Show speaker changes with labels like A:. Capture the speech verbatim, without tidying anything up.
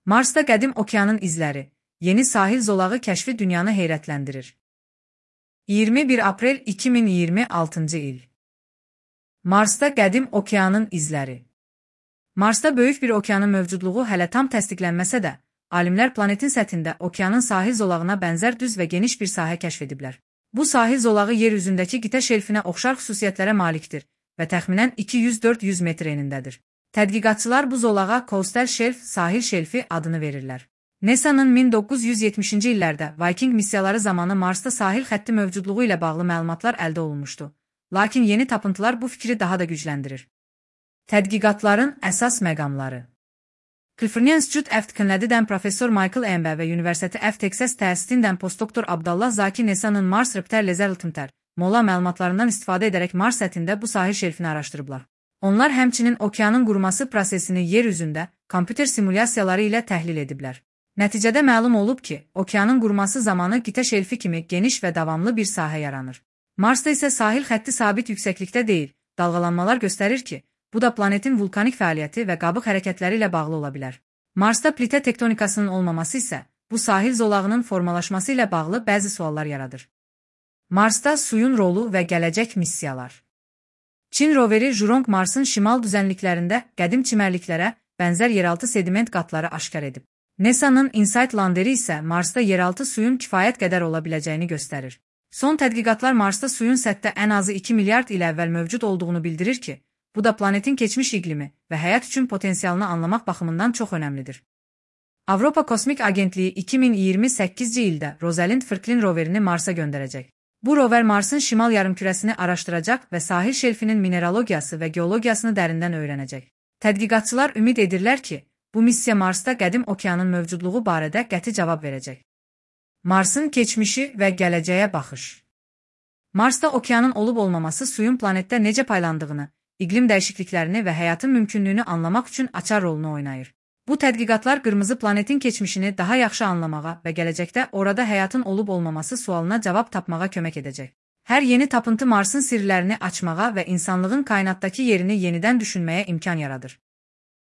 A: Marsda qədim okeanın izləri, yeni sahil zolağı kəşfi dünyanı heyrətləndirir. iyirmi bir aprel iki min iyirmi altıncı il. Marsda qədim okeanın izləri. Marsda böyük bir okeanın mövcudluğu hələ tam təsdiqlənməsə də, alimlər planetin səthində okeanın sahil zolağına bənzər düz və geniş bir sahə kəşf ediblər. Bu sahil zolağı yer üzündəki qitə şelfinə oxşar xüsusiyyətlərə malikdir və təxminən iki yüz dörd yüz metr enindədir. Tədqiqatçılar bu zolağa Coastal Shelf, sahil şelfi adını verirlər. NASA'nın min doqquz yüz yetmişinci illərdə Viking missiyaları zamanı Marsda sahil xətti mövcudluğu ilə bağlı məlumatlar əldə olunmuşdu. Lakin yeni tapıntılar bu fikri daha da gücləndirir. Tədqiqatların əsas məqamları. California Institute of Technology'dən professor Michael Embe və University of Texas təsisindən postdoktor Abdallah Zaki NASA'nın Mars Repair Laser Altimeter mola məlumatlarından istifadə edərək Mars səthində bu sahil şelfini araşdırıblar. Onlar həmçinin okeanın quruması prosesini yer üzündə kompüter simulyasiyaları ilə təhlil ediblər. Nəticədə məlum olub ki, okeanın quruması zamanı qitə şelfi kimi geniş və davamlı bir sahə yaranır. Marsda isə sahil xətti sabit yüksəklikdə deyil, dalğalanmalar göstərir ki, bu da planetin vulkanik fəaliyyəti və qabıq hərəkətləri ilə bağlı ola bilər. Marsda plitə tektonikasının olmaması isə bu sahil zolağının formalaşması ilə bağlı bəzi suallar yaradır. Marsda suyun rolu və gələcək missiyalar. Çin roveri Zhurong Marsın şimal düzənliklərində qədim çimərliklərə bənzər yeraltı sediment qatları aşkar edib. NASA'nın InSight landeri isə Marsda yeraltı suyun kifayət qədər ola biləcəyini göstərir. Son tədqiqatlar Marsda suyun səthdə ən azı iki milyard il əvvəl mövcud olduğunu bildirir ki, bu da planetin keçmiş iqlimi və həyat üçün potensialını anlamaq baxımından çox önəmlidir. Avropa Kosmik Agentliyi iki min iyirmi səkkizinci ildə Rosalind Franklin roverini Marsa göndərəcək. Bu rover Marsın şimal yarımkürəsini araşdıracaq və sahil şelfinin mineralogiyası və geologiyasını dərindən öyrənəcək. Tədqiqatçılar ümid edirlər ki, bu missiya Marsda qədim okeanın mövcudluğu barədə qəti cavab verəcək. Marsın keçmişi və gələcəyə baxış. Marsda okeanın olub-olmaması suyun planetdə necə paylandığını, iqlim dəyişikliklərini və həyatın mümkünlüyünü anlamaq üçün açar rolunu oynayır. Bu tədqiqatlar qırmızı planetin keçmişini daha yaxşı anlamağa və gələcəkdə orada həyatın olub-olmaması sualına cavab tapmağa kömək edəcək. Hər yeni tapıntı Marsın sirlərini açmağa və insanlığın kainatdakı yerini yenidən düşünməyə imkan yaradır.